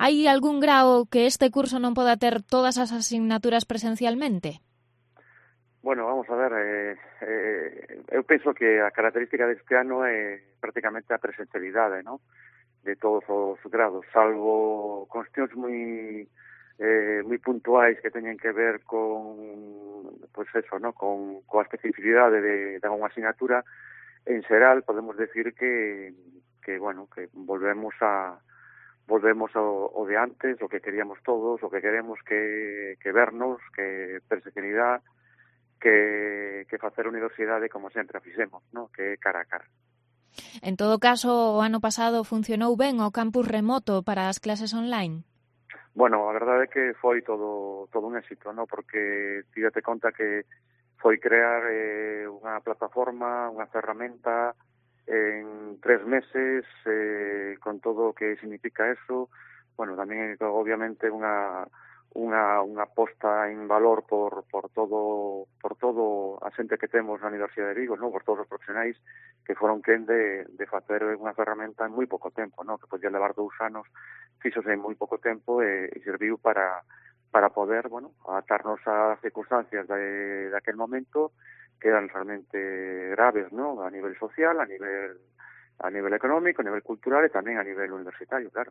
Hai algún grao que este curso non poda ter todas as asignaturas presencialmente? Bueno, vamos a ver, eu penso que a característica deste ano é prácticamente a presencialidade, ¿no?, de todos os grados, salvo cuestións moi puntuais que teñen que ver con, pues eso, ¿no?, coa especificidade de unha asignatura. En xeral podemos decir que bueno, que volvemos ao de antes, o que queríamos todos, o que queremos que vernos, que presencialidade, que facer a universidade como sempre a fixemos, ¿no?, que é cara a cara. En todo caso, o ano pasado funcionou ben o campus remoto para as clases online? Bueno, a verdade é que foi todo un éxito, ¿no?, porque tídate conta que foi crear unha plataforma, unha ferramenta en 3 meses, con todo o que significa eso. Bueno, tamén obviamente unha posta en valor por todo a xente que temos na Universidade de Vigo, ¿no?, por todos os profesionais que foron quen de facer unha ferramenta en moi pouco tempo, ¿no?, que podía levar 2 anos, fixose en moi pouco tempo e serviu para poder, bueno, adaptarnos ás circunstancias de aquel momento, que eran realmente graves, ¿no?, a nivel social, a nivel económico, a nivel cultural e tamén a nivel universitario, claro.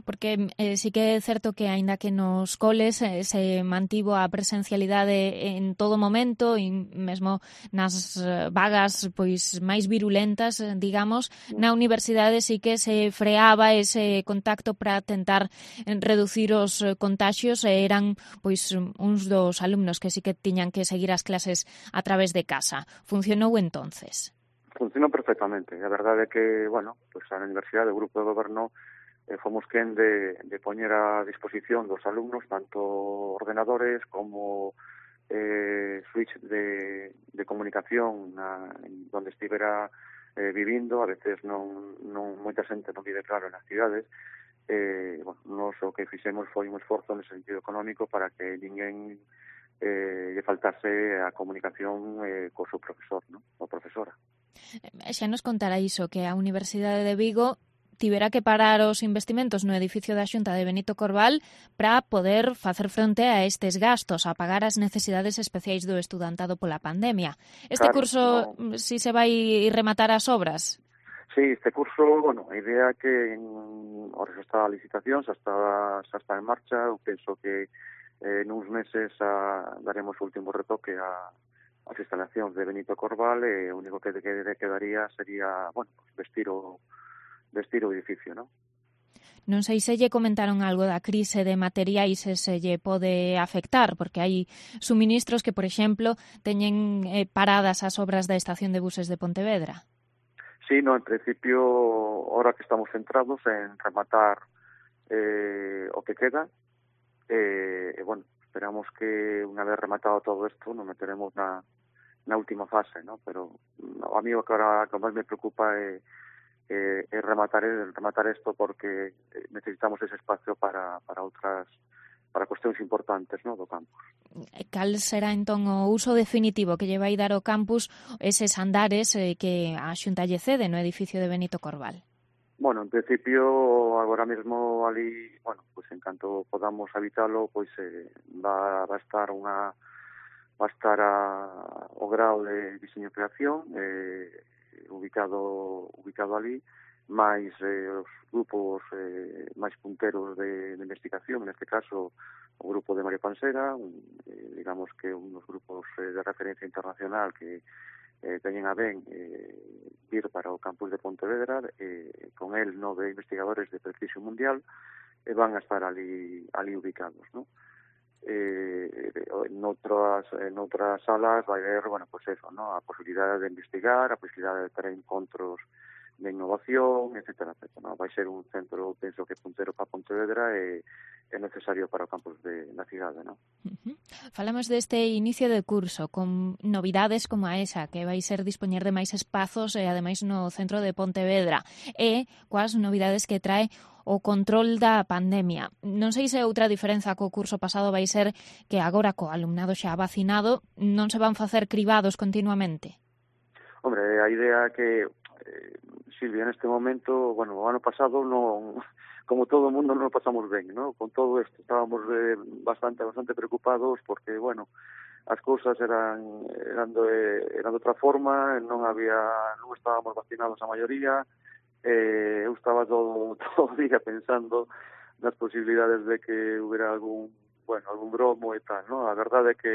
Porque sí que é certo que, aínda que nos coles se mantivo a presencialidade en todo momento e mesmo nas vagas pois máis virulentas, digamos, na universidade sí que se freaba ese contacto para tentar reducir os contaxios e eran pois uns dos alumnos que sí que tiñan que seguir as clases a través de casa. Funcionou entonces? Funcionou perfectamente. A verdade é que, bueno, pois a universidade, o grupo de goberno, fomos quen de poñer a disposición dos alumnos tanto ordenadores como switch de comunicación donde estivera vivindo. A veces non moita xente non vive claro nas cidades. Bueno, nos o que fixemos foi un esforzo no sentido económico para que ninguén lle faltase a comunicación co seu profesor, ¿no?, ou profesora. Xa nos contará iso, que a Universidade de Vigo tivera que parar os investimentos no edificio da Xunta de Benito Corval para poder facer fronte a estes gastos, a pagar as necesidades especiais do estudantado pola pandemia. Este curso, si se vai rematar as obras? Sí, este curso, bueno, a idea é que ahora xa está a licitación, xa está en marcha. Eu penso que nuns meses daremos o último retoque as instalacións de Benito Corval e o único que quedaría sería, bueno, vestir o edificio, ¿no? Non sei se lle comentaron algo da crise de materiais e se lle pode afectar, porque hai suministros que, por exemplo, teñen paradas as obras da estación de buses de Pontevedra. Sí, no, en principio, ahora que estamos centrados en rematar o que queda, bueno, esperamos que unha vez rematado todo isto nos meteremos na última fase, ¿no? Pero a mí o que ahora que máis me preocupa é rematar isto, porque necesitamos ese espacio para cuestións importantes, ¿no?, do campus. Cal será entón o uso definitivo que lle vai dar o campus eses andares que a Xunta lle cede no edificio de Benito Corval? Bueno, en principio, agora mesmo ali, bueno, pues en canto podamos habitalo, pois va a estar o grao de diseño e creación ubicado ali, máis os grupos máis punteros de investigación, neste caso o grupo de María Pansera, digamos que un dos grupos de referencia internacional que teñen a ben vir para o campus de Pontevedra, con el 9 investigadores de prestigio mundial, van a estar ali ubicados, ¿no? En outras salas vai haber, bueno, pues eso, ¿no?, a posibilidade de investigar, a posibilidade de ter encontros de innovación, etcétera, ¿no? Vai ser un centro, penso que puntero para Pontevedra e é necesario para o campus na cidade, ¿no? Falamos deste inicio de curso con novidades como a esa, que vai ser dispoñer de máis espazos e ademais no centro de Pontevedra, e coas novidades que trae o control da pandemia. Non sei se outra diferenza co curso pasado vai ser que agora co alumnado xa vacinado non se van facer cribados continuamente. Hombre, a idea é que, Silvia, neste momento, bueno, o ano pasado non como todo o mundo non o pasamos ben, ¿no? Con todo isto estábamos bastante preocupados porque, bueno, as cousas eran de outra forma, non estábamos vacinados a maioría, eu estaba todo o día pensando nas posibilidades de que hubiera algún bromo e tal, ¿no? A verdade é que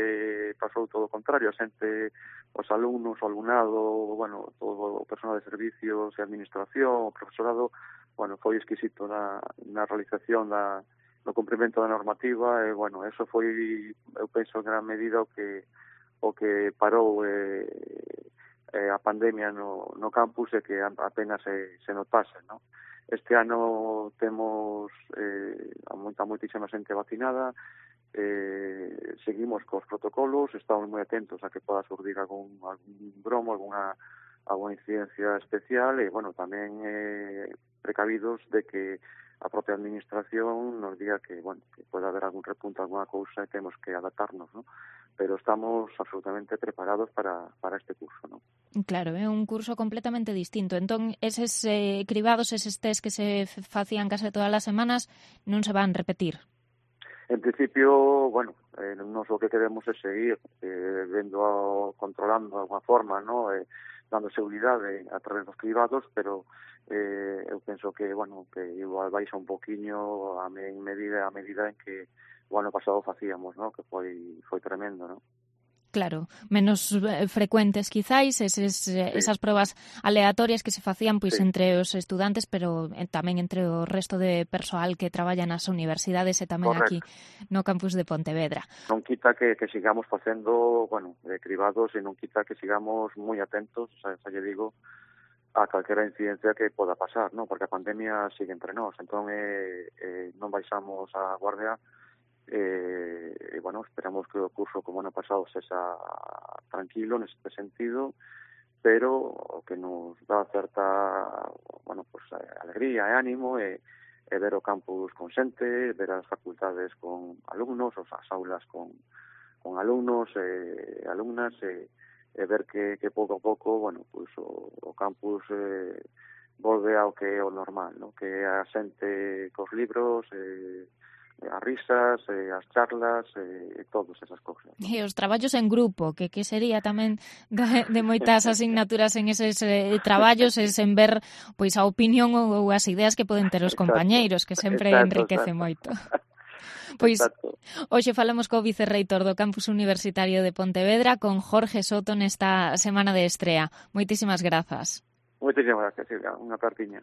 pasou todo o contrario, a xente, os alumnos, o alumnado, bueno, todo o personal de servicios e administración, o profesorado, bueno, foi exquisito na realización no cumprimento da normativa e, bueno, eso foi, eu penso, en gran medida o que parou a pandemia no campus e que apenas se notase, ¿no? Este ano temos moitísima xente vacinada, seguimos cos protocolos, estamos moi atentos a que poda surdir algún bromo, alguna incidencia especial e, bueno, tamén precavidos de que a propia administración nos diga que, bueno, que pode haber algún repunto, alguna cousa e temos que adaptarnos, ¿no? Pero estamos absolutamente preparados para este curso, ¿no? Claro, é un curso completamente distinto. Entón, eses cribados, eses test que se facían case todas as semanas, non se van repetir? En principio, bueno, nos o que queremos é seguir controlando de alguna forma, ¿no? Dando seguridade a través dos cribados, pero eu penso que, bueno, que igual baixa un poquinho a medida en que o ano pasado facíamos, ¿no? Que foi tremendo, ¿no? Claro, menos frecuentes quizáis esas probas aleatorias que se facían pois entre os estudantes, pero tamén entre o resto de persoal que traballa nas universidades e tamén aquí no campus de Pontevedra. Non quita que sigamos facendo, bueno, cribados e non quita que sigamos moi atentos, xa lle digo, a calquera incidencia que poda pasar, ¿no? Porque a pandemia sigue entre nós, entón non baixamos a guardia. Bueno, esperamos que o curso como ano pasado sexa tranquilo neste sentido, pero o que nos dá certa, bueno, pues alegría e ánimo é ver o campus con xente, ver as facultades con alumnos, as aulas con alumnos e alumnas e ver que pouco a pouco, bueno, pues o campus volve ao que é o normal, ¿no? Que a xente cos libros as risas, as charlas e todas esas cousas, ¿no? E os traballos en grupo, que sería tamén de moitas asignaturas en eses traballos, en ver pois a opinión ou as ideas que poden ter os compañeiros, que sempre enriquece moito. Pois hoxe falamos co vicerreitor do Campus Universitario de Pontevedra, con Jorge Soto, nesta semana de estrea. Moitísimas grazas. Moitísimas grazas, Silvia. Unha cartiña.